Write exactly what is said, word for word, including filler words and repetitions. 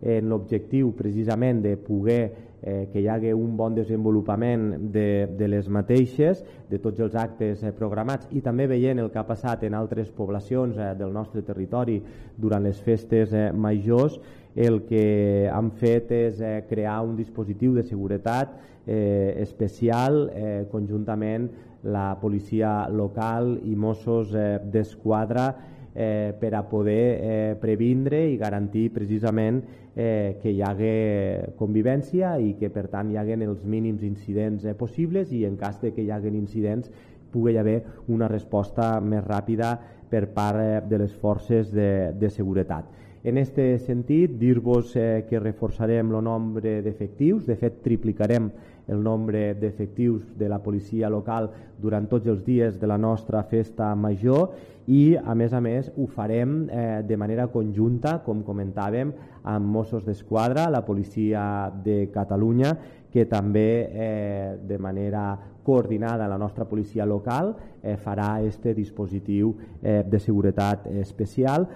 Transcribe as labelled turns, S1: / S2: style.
S1: en l'objectiu precisament de poder eh, que hi hagi un bon desenvolupament de, de les mateixes, de tots els actes eh, programats, i també veient el que ha passat en altres poblacions eh, del nostre territori durant les festes eh, majors, el que han fet és eh, crear un dispositiu de seguretat eh, especial eh, conjuntament la policia local i Mossos eh, d'Esquadra eh, per a poder eh, previndre i garantir precisament eh, que hi hagi convivència i que per tant hi hagi els mínims incidents eh, possibles, i en cas de que hi hagi incidents pugui haver una resposta més ràpida per part eh, de les forces de, de seguretat. En aquest sentit, dir-vos eh, que reforçarem el nombre d'efectius, de fet triplicarem el nombre d'efectius de la policia local durant tots els dies de la nostra festa major, i a més a més ho farem eh, de manera conjunta, com comentàvem, amb Mossos d'Esquadra, la policia de Catalunya, que també eh, de manera coordinada la nostra policia local eh, farà este dispositiu eh, de seguretat especial,